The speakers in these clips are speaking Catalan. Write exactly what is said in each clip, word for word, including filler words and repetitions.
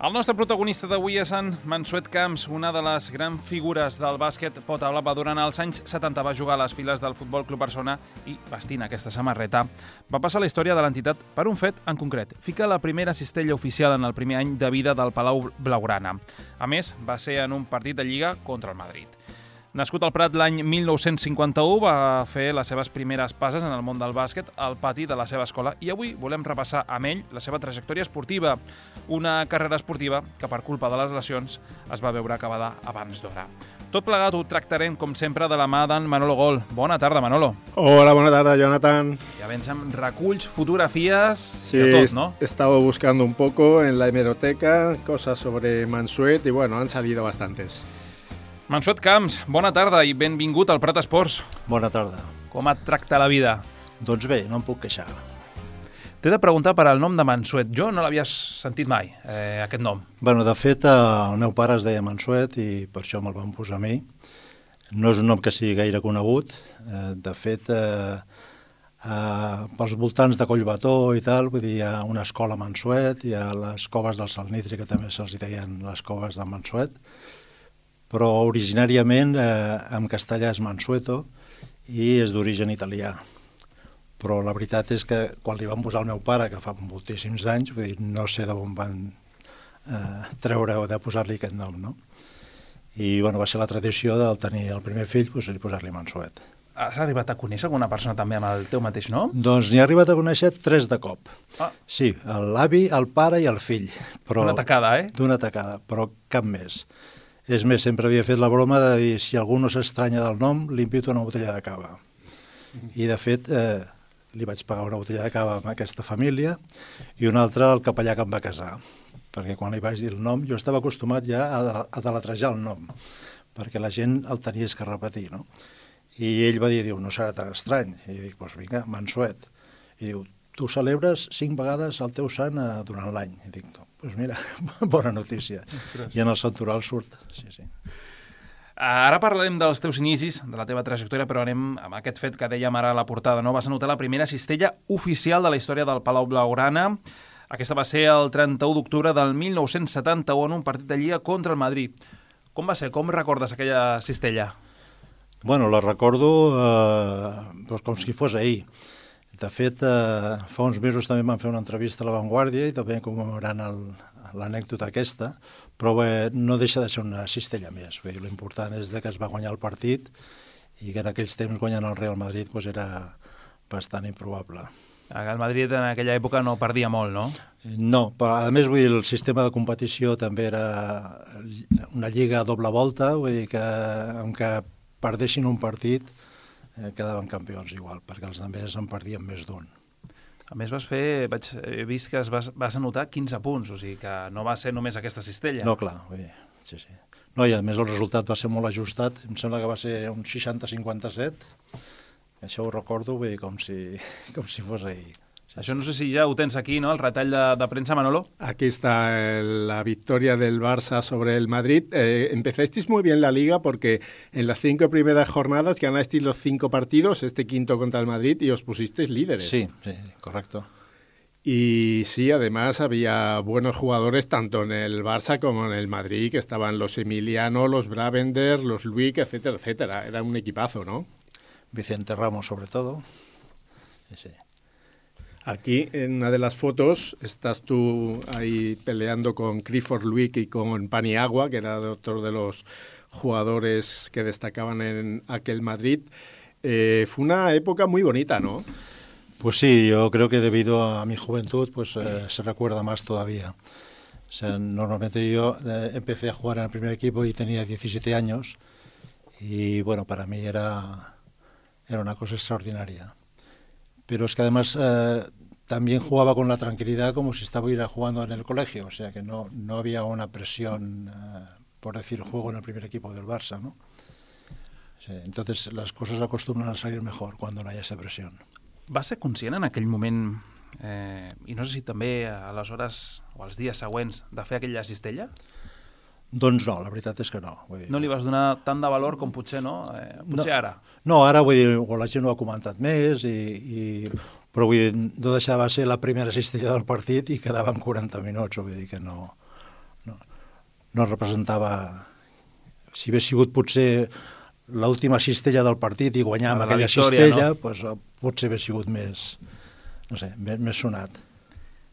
El nostre protagonista d'avui és en Mansuet Camps, una de les grans figures del bàsquet Potable. Durant els anys setanta va jugar a les files del Futbol Club Barcelona i, vestint aquesta samarreta, va passar a la història de l'entitat per un fet en concret. Fica la primera cistella oficial en el primer any de vida del Palau Blaugrana. A més, va ser en un partit de Lliga contra el Madrid. Nascut al Prat l'any mil nou-cents cinquanta-u, va fer les seves primeres passes en el món del bàsquet al pati de la seva escola i avui volem repassar amb ell la seva trajectòria esportiva, una carrera esportiva que per culpa de les lesions es va veure acabada abans d'hora. Tot plegat ho tractarem, com sempre, de la mà d'en Manolo Gol. Bona tarda, Manolo. Hola, bona tarda, Jonathan. Ja vens amb reculls, fotografies sí, y de tot, ¿no? He estado buscando un poco en la hemeroteca cosas sobre Mansuet y bueno, han salido bastantes. Mansuet Camps, bona tarda i benvingut al Prat Esports. Bona tarda. Com et tracta la vida? Doncs bé, no em puc queixar. T'he de preguntar per al nom de Mansuet. Jo no l'havia sentit mai, eh, aquest nom. Bueno, de fet, el meu pare es deia Mansuet i per això me'l van posar a mi. No és un nom que sigui gaire conegut. De fet, eh, eh, pels voltants de Collbató i tal, vull dir, hi ha una escola Mansuet, hi ha les coves del Salnitri, que també se'ls deien les coves de Mansuet, però originàriament eh, en castellà és Mansueto i és d'origen italià. Però la veritat és que quan li van posar al meu pare, que fa moltíssims anys, vull dir, no sé d'on van eh, treure o de posar-li aquest nom, no? I bueno, va ser la tradició del tenir el primer fill, doncs, posar-li Mansuet. Has arribat a conèixer alguna persona també amb el teu mateix nom? Doncs n'hi ha arribat a conèixer tres de cop. Ah. Sí, l'avi, el pare i el fill. Però, D'una tacada, eh? D'una tacada, però cap més. És més, sempre havia fet la broma de dir si algú no s'estranya del nom, li invito una botella de cava. I, de fet, eh, li vaig pagar una botella de cava a aquesta família i una altra al capellà que em va casar. Perquè quan li vaig dir el nom, jo estava acostumat ja a, a deletrejar el nom, perquè la gent el tenies que repetir, no? I ell va dir, diu, no serà tan estrany. I dic, doncs vinga, Mansuet. I diu, tu celebres cinc vegades el teu sant eh, durant l'any. I dic, doncs mira, bona notícia. Ostres. I en el santoral surt, sí, sí. Ara parlarem dels teus inicis, de la teva trajectòria, però anem amb aquest fet que dèiem ara a la portada, no? Vas anotar la primera cistella oficial de la història del Palau Blaugrana. Aquesta va ser el trenta-u d'octubre del mil nou-cents setanta-u en un partit de Lliga contra el Madrid. Com va ser? Com recordes aquella cistella? Bueno, la recordo eh, doncs com si fos ahir. De fet, eh, fa uns mesos també vam fer una entrevista a La Vanguardia i també commemorant l'anècdota aquesta, però bé, no deixa de ser una cistella més. L'important és que es va guanyar el partit i que en aquells temps guanyant el Real Madrid doncs era bastant improbable. El Madrid en aquella època no perdia molt, no? No, però a més vull dir, el sistema de competició també era una lliga a doble volta, vull dir que en què perdessin un partit eh, quedaven campions igual, perquè els altres en perdien més d'un. A més vas fer, vaig, he vist que es vas, vas anotar quinze punts, o sigui que no va ser només aquesta cistella. No, clar, vull dir, sí, sí. No, i a més el resultat va ser molt ajustat, em sembla que va ser un seixanta a cinquanta-set, això ho recordo, vull dir, com si, com si fos ahir. Sí. Això no sé si ja ho tens aquí, ¿no? El retall de, de premsa, Manolo. Aquí está la victoria del Barça sobre el Madrid. Eh, empezasteis muy bien la Liga porque en las cinco primeras jornadas ganasteis los cinco partidos, este quinto contra el Madrid, y os pusisteis líderes. Sí, sí, correcto. Y sí, además había buenos jugadores tanto en el Barça como en el Madrid, que estaban los Emiliano, los Bravender, los Luick, etcétera, etcétera. Era un equipazo, ¿no? Vicente Ramos, sobre todo. Sí, sí. Aquí, en una de las fotos, estás tú ahí peleando con Clifford Luick y con Paniagua, que era otro de los jugadores que destacaban en aquel Madrid. Eh, fue una época muy bonita, ¿no? Pues sí, yo creo que debido a mi juventud, pues eh, se recuerda más todavía. O sea, normalmente yo eh, empecé a jugar en el primer equipo y tenía diecisiete años y, bueno, para mí era, era una cosa extraordinaria. Pero es que además eh, también jugaba con la tranquilidad como si estuviera jugando en el colegio, o sea que no, no había una presión, eh, por decir, juego en el primer equipo del Barça, ¿no? Sí, entonces las cosas acostumbran a salir mejor cuando no hay esa presión. Va ser conscient en aquell moment, eh, i no sé si també a les hores o als dies següents, de fer aquella cistella? Doncs no, la veritat és que no. Vull dir, no li vas donar tant de valor com potser, no? Eh, potser no, ara. No, ara vull dir, o la gent ho ha comentat més, i, i, però vull dir, no deixava ser la primera cistella del partit i quedaven quaranta minuts, vull dir que no, no, no representava... Si hagués sigut potser l'última cistella del partit i guanyar amb aquella victòria, cistella, no? Pues, potser hagués sigut més, no sé, més, més sonat.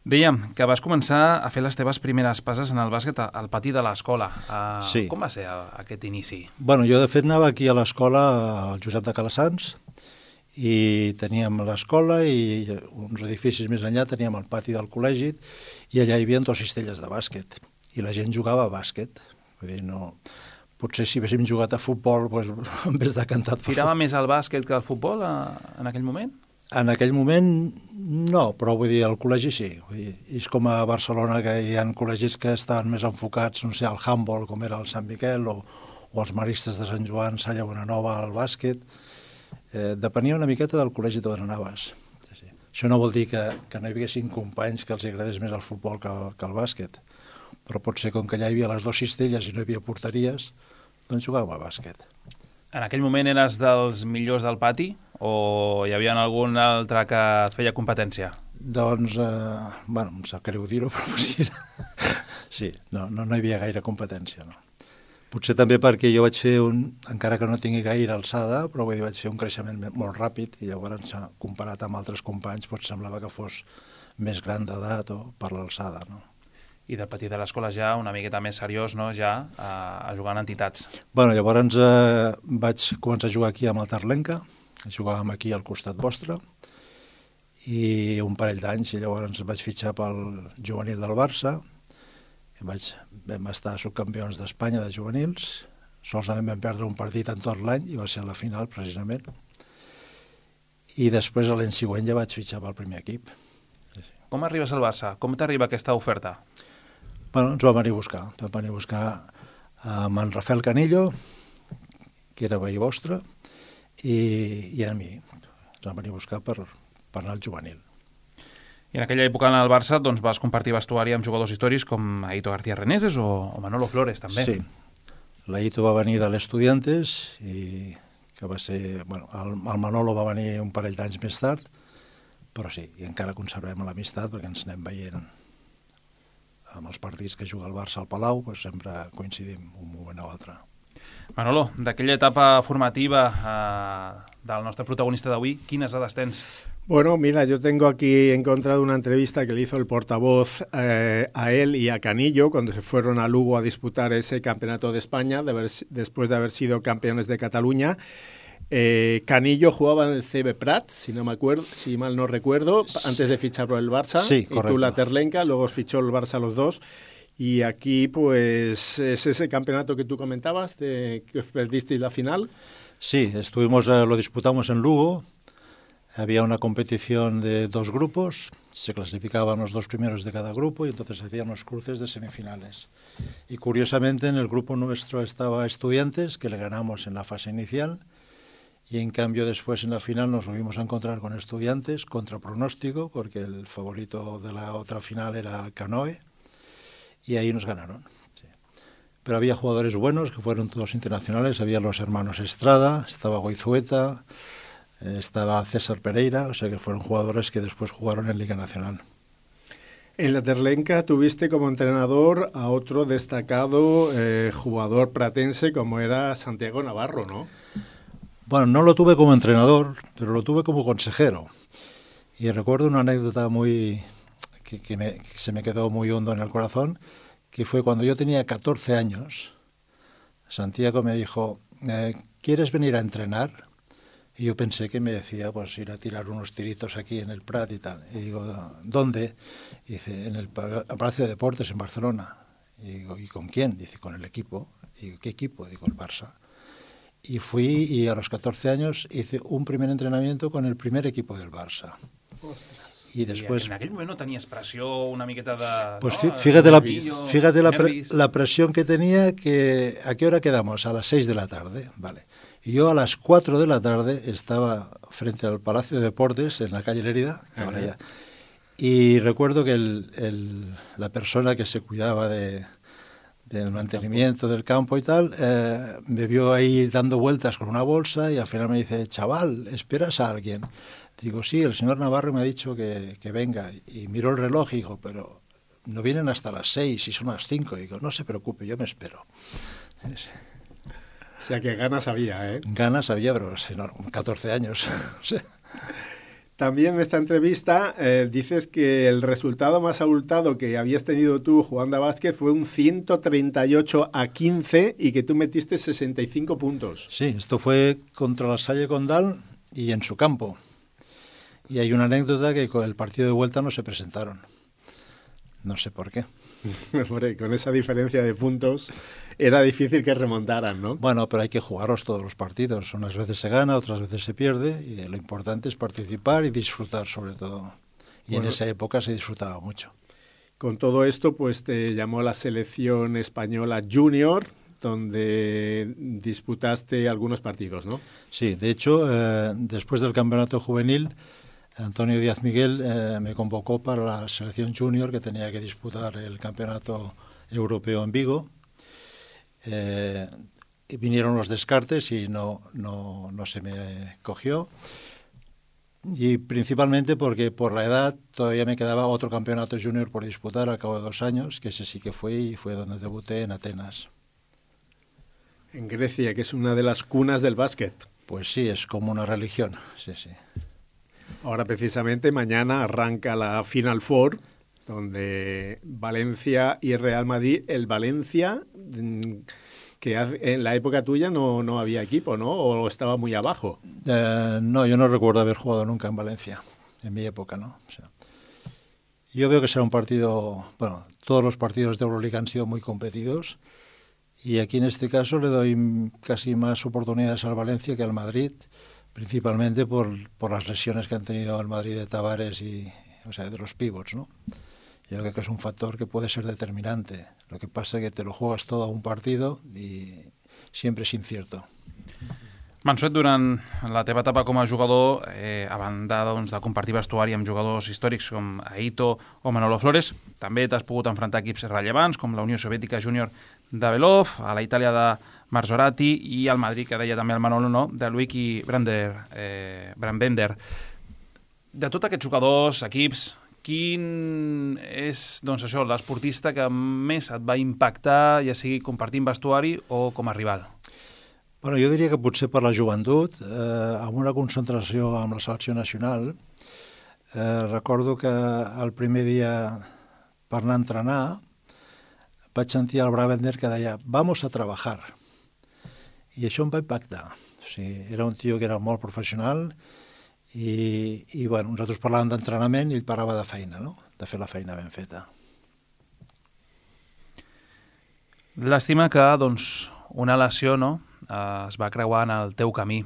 Dèiem que vas començar a fer les teves primeres passes en el bàsquet al pati de l'escola. Uh, sí. Com va ser aquest inici? Bueno, jo de fet anava aquí a l'escola, al Josep de Calassanç, i teníem l'escola i uns edificis més enllà teníem el pati del col·legi i allà hi havia dos cistelles de bàsquet i la gent jugava a bàsquet. Vull dir, no... Potser si haguéssim jugat a futbol, doncs, en vez de cantar... Tirava més al bàsquet que al futbol a, en aquell moment? En aquell moment no, però vull dir, al col·legi sí. Vull dir, és com a Barcelona que hi ha col·legis que estaven més enfocats, no sé, al handball, com era el Sant Miquel, o, o els maristes de Sant Joan, Salla Bonanova, al bàsquet. Eh, depenia una miqueta del col·legi d'on anaves. Sí, sí. Això no vol dir que, que no hi haguessin companys que els agradés més el futbol que el, que el bàsquet, però potser com que allà hi havia les dues cistelles i no hi havia porteries, doncs jugàvem a bàsquet. En aquell moment eres dels millors del pati o hi havia algun altre que et feia competència? Doncs, eh, bueno, em sap greu dir-ho, però sí, sí no, no, no hi havia gaire competència, no. Potser també perquè jo vaig fer un, encara que no tingui gaire alçada, però vull dir, vaig fer un creixement molt ràpid i llavors, comparat amb altres companys, doncs semblava que fos més gran d'edat o per l'alçada, no? I del petit de l'escola ja una miqueta més seriós, no?, ja a, a jugar en entitats. Bueno, llavors eh, vaig començar a jugar aquí amb el Terlenca, jugàvem aquí al costat vostre, i un parell d'anys, i llavors vaig fitxar pel juvenil del Barça, i vaig, vam estar subcampions d'Espanya de juvenils, solament vam perdre un partit en tot l'any, i va ser a la final, precisament, i després l'any següent ja vaig fitxar pel primer equip. Com arribes al Barça? Com t'arriba aquesta oferta? Bueno, ens va venir a buscar. Vam venir a buscar amb en Rafael Canillo, que era veí vostre, i, i a mi. Ens va venir a buscar per, per anar al juvenil. I en aquella època en el Barça doncs, vas compartir vestuari amb jugadors històrics com Aito García Reneses o, o Manolo Flores, també. Sí. L'Aito va venir de l'Estudiantes i que va ser... Bueno, el, el Manolo va venir un parell d'anys més tard, però sí, i encara conservem l'amistat perquè ens anem veient amb els partits que juga el Barça al Palau, doncs sempre coincidim un moment o altre. Manolo, d'aquella etapa formativa eh, del nostre protagonista d'avui, quines dades tens? Bueno, mira, yo tengo aquí encontrado una entrevista que le hizo el portavoz eh, a él y a Canillo cuando se fueron a Lugo a disputar ese campeonato de España, de haber, después de haber sido campeones de Cataluña. Eh, Canillo jugaba en el C B Prat, si no me acuerdo, si mal no recuerdo, antes de fichar por el Barça, sí, y tú la Terlenca, luego os fichó el Barça los dos, y aquí pues es ese campeonato que tú comentabas, de que perdisteis la final. Sí, estuvimos, eh, lo disputamos en Lugo, había una competición de dos grupos, se clasificaban los dos primeros de cada grupo y entonces hacían los cruces de semifinales. Y curiosamente en el grupo nuestro estaba Estudiantes, que le ganamos en la fase inicial, y en cambio después en la final nos volvimos a encontrar con Estudiantes contra pronóstico, porque el favorito de la otra final era Canoe, y ahí nos ganaron. Sí. Pero había jugadores buenos, que fueron todos internacionales, había los hermanos Estrada, estaba Goizueta, eh, estaba César Pereira, o sea que fueron jugadores que después jugaron en Liga Nacional. En la Terlenca tuviste como entrenador a otro destacado eh, jugador pratense como era Santiago Navarro, ¿no? Bueno, no lo tuve como entrenador, pero lo tuve como consejero. Y recuerdo una anécdota muy que, que, me, que se me quedó muy hondo en el corazón, que fue cuando yo tenía catorce años. Santiago me dijo, eh, ¿quieres venir a entrenar? Y yo pensé que me decía, pues ir a tirar unos tiritos aquí en el Prat y tal. Y digo, ¿dónde? Y dice, en el Palacio de Deportes en Barcelona. Y digo, ¿y con quién? Dice, con el equipo. Y digo, ¿qué equipo? Digo, el Barça. Y fui y a los catorce años hice un primer entrenamiento con el primer equipo del Barça. Ostras. Y después... I en aquell moment no tenies pressió, una miqueta de... Pues no, fíjate, la, nervillo, fíjate la, pre, la presión que tenía, que ¿a qué hora quedamos? A las seis de la tarde, vale. Y yo a las cuatro de la tarde estaba frente al Palacio de Deportes, en la calle Lérida, que ahora ya, y recuerdo que el, el, la persona que se cuidaba de... del mantenimiento del campo y tal, eh, me vio ahí dando vueltas con una bolsa y al final me dice, chaval, ¿esperas a alguien? Digo, sí, el señor Navarro me ha dicho que, que venga. Y miró el reloj y dijo, pero no vienen hasta las seis y son las cinco. Y digo, no se preocupe, yo me espero. O sea que ganas había, ¿eh? Ganas había, pero no, catorce años. También en esta entrevista eh, dices que el resultado más abultado que habías tenido tú jugando a básquet fue un ciento treinta y ocho a quince y que tú metiste sesenta y cinco puntos. Sí, esto fue contra la Salle Condal y en su campo. Y hay una anécdota que con el partido de vuelta no se presentaron. No sé por qué. Hombre, con esa diferencia de puntos era difícil que remontaran, ¿no? Bueno, pero hay que jugarlos todos los partidos. Unas veces se gana, otras veces se pierde, y lo importante es participar y disfrutar sobre todo. Y bueno, en esa época se disfrutaba mucho. Con todo esto, pues te llamó la selección española junior, donde disputaste algunos partidos, ¿no? Sí, de hecho, eh, después del campeonato juvenil, Antonio Díaz Miguel eh, me convocó para la selección junior que tenía que disputar el campeonato europeo en Vigo. Eh, vinieron los descartes y no, no, no se me cogió. Y principalmente porque por la edad todavía me quedaba otro campeonato junior por disputar al cabo de dos años, que ese sí que fue y fue donde debuté en Atenas. En Grecia, que es una de las cunas del básquet. Pues sí, es como una religión, sí, sí. Ahora precisamente mañana arranca la Final Four, donde Valencia y Real Madrid, el Valencia, que en la época tuya no, no había equipo, ¿no? ¿O estaba muy abajo? Eh, no, yo no recuerdo haber jugado nunca en Valencia, en mi época, ¿no? O sea, yo veo que será un partido, bueno, todos los partidos de Euroliga han sido muy competidos y aquí en este caso le doy casi más oportunidades al Valencia que al Madrid, principalmente por, por las lesiones que han tenido el Madrid de Tavares y, o sea, de los pivots, ¿no? Yo creo que es un factor que puede ser determinante. Lo que pasa es que te lo juegas todo a un partido i sempre és incierto. Mansuet, durant la teva etapa com a jugador, eh, a banda doncs, de compartir vestuari amb jugadors històrics com Aito o Manolo Flores, també t'has pogut enfrontar equips rellevants com la Unió Soviètica Júnior de Belov, a la Itàlia de Marzorati i al Madrid, que deia també el Manolo, no?, de Luigi Brander, eh, Brandbender. De tots aquests jugadors, equips, quin és, doncs això, l'esportista que més et va impactar, ja sigui compartint vestuari o com a rival? Bueno, jo diria que potser per la joventut, eh, amb una concentració amb la selecció nacional, eh, recordo que el primer dia per anar a entrenar vaig sentir el Brabender que deia «vamos a trabajar». I això em va impactar. O sigui, era un tio que era molt professional i, i bueno, nosaltres parlàvem d'entrenament i ell parlava de feina, no?, de fer la feina ben feta. L'estima que, doncs, una lesió, no?, es va creuar en el teu camí.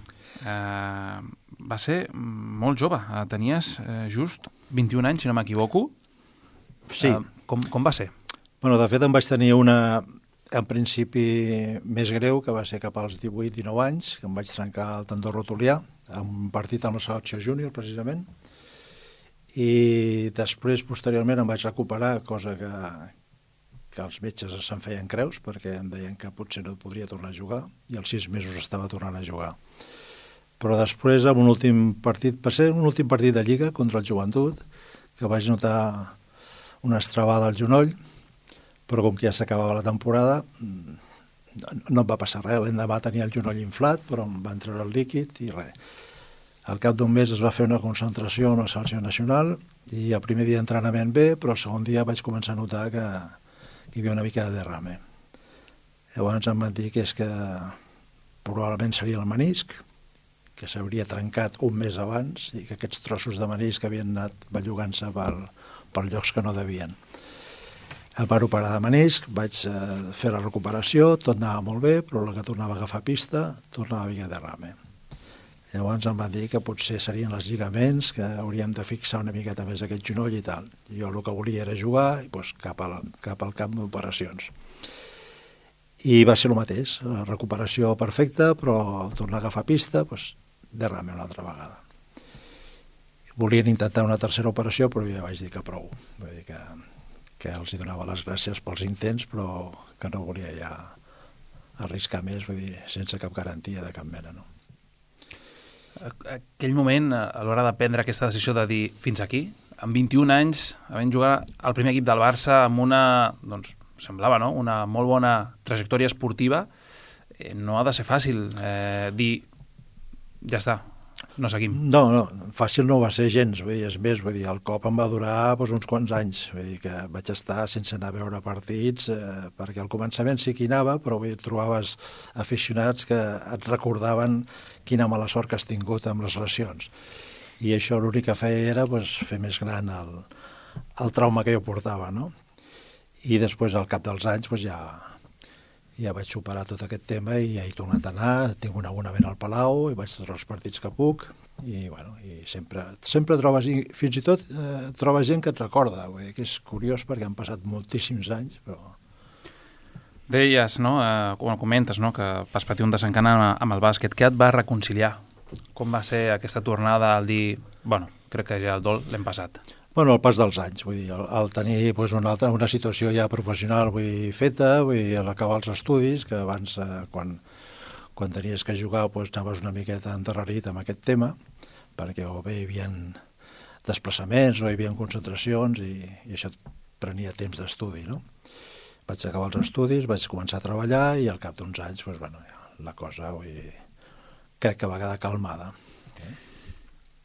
Eh, va ser molt jove, tenies eh, just vint-i-un anys, si no m'equivoco. Sí. Eh, com, com va ser? Bueno, de fet em vaig tenir una, en principi, més greu, que va ser cap als divuit dinou anys, que em vaig trencar el tendó rotulià, en un partit amb la selecció júnior, precisament, i després, posteriorment, em vaig recuperar, cosa que, que els metges se'n feien creus, perquè em deien que potser no podria tornar a jugar, i als sis mesos estava tornant a jugar. Però després, en un últim partit, va ser un últim partit de Lliga contra el Joventut, que vaig notar una estrabada al genoll, però com que ja s'acabava la temporada, no em va passar res. L'endemà tenia el genoll inflat, però em van treure el líquid i res. Al cap d'un mes es va fer una concentració amb la selecció nacional i el primer dia d'entrenament bé, però el segon dia vaig començar a notar que hi havia una mica de derrame. Llavors em van dir que és que probablement seria el menisc, que s'hauria trencat un mes abans i que aquests trossos de menisc havien anat bellugant-se per, per llocs que no devien. Em van operar de menisc, vaig fer la recuperació, tot anava molt bé, però la que tornava a agafar pista tornava a haver derrame. Llavors em van dir que potser serien els lligaments, que hauríem de fixar una miqueta més aquest genoll i tal. Jo el que volia era jugar i doncs, cap, a la, cap al camp d'operacions. I va ser el mateix, la recuperació perfecta, però al tornar a agafar pista, doncs, derrame una altra vegada. Volien intentar una tercera operació, però jo ja vaig dir que prou. Vull dir que, que els hi donava les gràcies pels intents, però que no volia ja arriscar més, vull dir, sense cap garantia de cap mena, no? Aquell moment, a l'hora de prendre aquesta decisió de dir fins aquí, amb vint-i-un anys, havent jugat al primer equip del Barça amb una, doncs, semblava, no?, una molt bona trajectòria esportiva, eh, no ha de ser fàcil eh, dir, ja està, no seguim. No, no, fàcil no va ser gens, vull dir, és més, vull dir, el cop em va durar doncs, uns quants anys, vull dir que vaig estar sense anar a veure partits, eh, perquè al començament sí que hi anava, però vull dir, trobaves aficionats que et recordaven quina mala sort que has tingut amb les lesions. I això l'únic que feia era pues, fer més gran el, el trauma que jo portava, no? I després, al cap dels anys, pues, ja, ja vaig superar tot aquest tema i ja he tornat a anar, tinc un abonament al Palau i vaig tots els partits que puc i, bueno, i sempre, sempre trobes, i fins i tot eh, trobes gent que et recorda, vull dir, que és curiós perquè han passat moltíssims anys, però... Deies, no?, eh, com comentes, no?, que vas patir un desencant amb el bàsquet. Què et va reconciliar? Com va ser aquesta tornada al dir, bueno, crec que ja el dol l'hem passat? Bueno, el pas dels anys, vull dir, el, el tenir pues, una, altra, una situació ja professional vull dir, feta, vull dir, a l'acabar els estudis, que abans, eh, quan, quan tenies que jugar, pues, anaves una miqueta enterrarit amb aquest tema, perquè o bé hi havia desplaçaments o hi havia concentracions i, i això prenia temps d'estudi, no? Vaig acabar els estudis, vaig començar a treballar i al cap d'uns anys, pues, bueno, ja, la cosa vull dir, crec que va quedar calmada.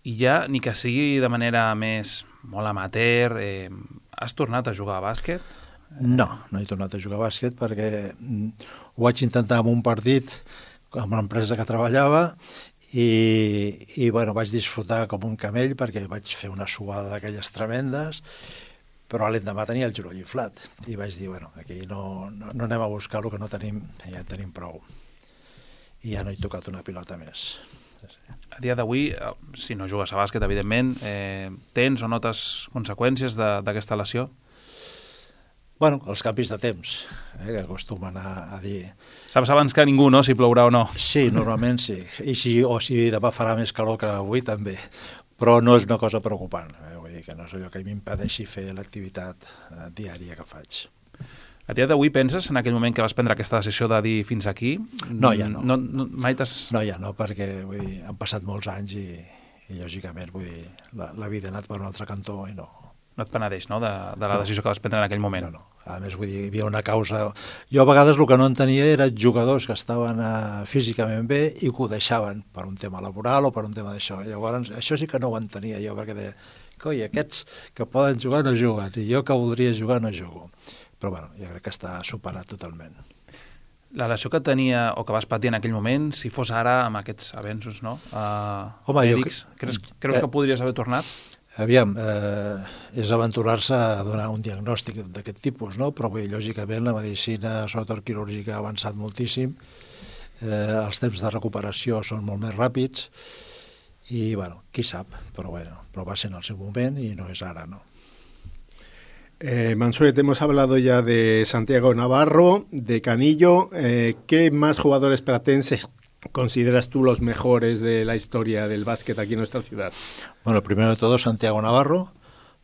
I ja, ni que sigui de manera més molt amateur, eh, has tornat a jugar a bàsquet? No, no he tornat a jugar a bàsquet perquè ho vaig intentar en un partit amb l'empresa que treballava i, i bueno, vaig disfrutar com un camell perquè vaig fer una suada d'aquelles tremendes, però l'endemà tenia el genoll inflat i vaig dir, bueno, aquí no, no, no anem a buscar el que no tenim, ja en tenim prou. I ja no he tocat una pilota més. A dia d'avui, si no jugues a bàsquet, evidentment, eh, tens o notes conseqüències d'aquesta lesió? Bueno, els canvis de temps, eh, que acostumen a, a dir... Saps abans que ningú, no?, si plourà o no. Sí, normalment sí. I si, o si demà farà més calor que avui, també. Però no és una cosa preocupant. Eh? Vull dir que no és allò que m'impedeixi fer l'activitat eh, diària que faig. A dia d'avui penses, en aquell moment que vas prendre aquesta decisió de dir fins aquí? No, ja no. no, no mai t'has... No, ja no, perquè vull dir, han passat molts anys i, i lògicament, vull dir, la, la vida ha anat per un altre cantó i no... No et penedeix, no?, de, de la no. decisió que vas prendre en aquell moment. No, no. A més, vull dir, hi havia una causa... Jo a vegades el que no entenia eren jugadors que estaven uh, físicament bé i que ho deixaven per un tema laboral o per un tema d'això. Llavors, això sí que no ho entenia jo, perquè deia, coi, aquests que poden jugar no juguen, i jo que voldria jugar no jugo. Però bueno, jo crec que està superat totalment. La lesió que tenia o que vas patir en aquell moment, si fos ara amb aquests avenços, no? Uh, Home, mèdics, jo... creus, creus eh, que podries haver tornat? Aviam, eh, és aventurar-se a donar un diagnòstic d'aquest tipus, no? Però bé, lògicament la medicina, sobretot quirúrgica, ha avançat moltíssim, eh, els temps de recuperació són molt més ràpids i, bueno, qui sap, però, bueno, però va ser en el seu moment i no és ara, no? Eh, Mansuet, hemos hablado ya de Santiago Navarro, de Canillo. Eh, ¿Qué más jugadores platenses consideras tú los mejores de la historia del básquet aquí en nuestra ciudad? Bueno, primero de todo Santiago Navarro,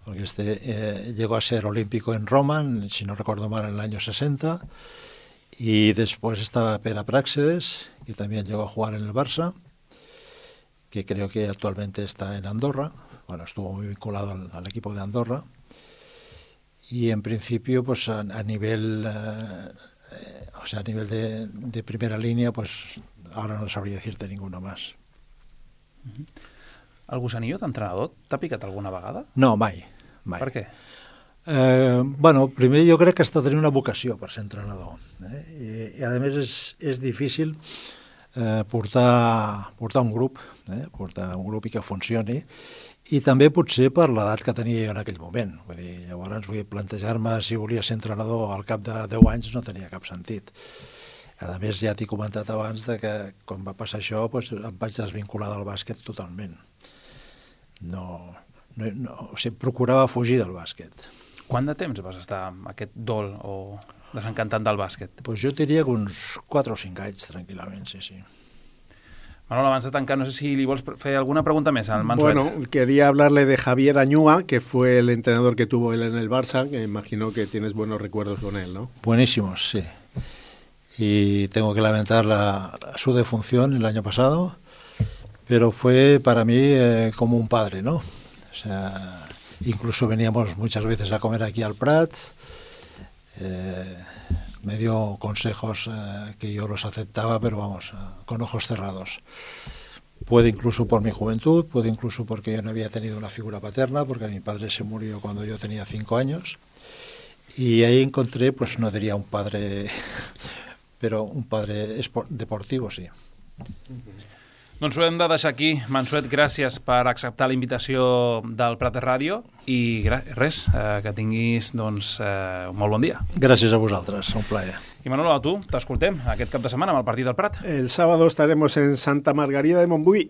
porque este eh, llegó a ser olímpico en Roma, si no recuerdo mal, en el año sesenta, y después estaba Pere Práxedes, que también llegó a jugar en el Barça, que creo que actualmente está en Andorra, bueno, estuvo muy vinculado al, al equipo de Andorra. Y en principio, pues a, a nivel, eh, o sea, a nivel de, de primera línea, pues ahora no sabría decirte ninguno más. El gusanillo d'entrenador t'ha picat alguna vegada? No, mai, mai. Per què? Eh, bueno, primer jo crec que has de tenir una vocació per ser entrenador. Eh? I, I a més és, és difícil eh, portar, portar un grup, eh? portar un grup i que funcioni. I també potser per l'edat que tenia jo en aquell moment. Vull dir, llavors, vull dir, plantejar-me si volia ser entrenador al cap de deu anys no tenia cap sentit. A més, ja t'he comentat abans de que quan va passar això doncs, em vaig desvincular del bàsquet totalment. No, no, no, o sigui, procurava fugir del bàsquet. Quant de temps vas estar amb aquest dol o desencantant del bàsquet? Pues jo diria que uns quatre o cinc anys, tranquil·lament, sí, sí. Manolo, abans de tancar, no sé si li vols fer alguna pregunta més al Mansuet. Bueno, quería hablarle de Javier Añúa, que fue el entrenador que tuvo él en el Barça, que imagino que tienes buenos recuerdos con él, ¿no? Buenísimos, sí. Y tengo que lamentar la, su defunción el año pasado, pero fue para mí eh, como un padre, ¿no? O sea, incluso veníamos muchas veces a comer aquí al Prat, eh, me dio consejos eh, que yo los aceptaba, pero vamos, eh, con ojos cerrados. Puede incluso por mi juventud, puede incluso porque yo no había tenido una figura paterna, porque mi padre se murió cuando yo tenía cinco años, y ahí encontré, pues no diría un padre, pero un padre deportivo, sí. Doncs ho hem de deixar aquí. Mansuet, gràcies per acceptar la invitació del Prat Ràdio i res, eh, que tinguis doncs, eh, un molt bon dia. Gràcies a vosaltres, un plaer. I Manolo, a tu, t'escoltem aquest cap de setmana amb el partit del Prat. El sábado estaremos en Santa Margarida de Montbui.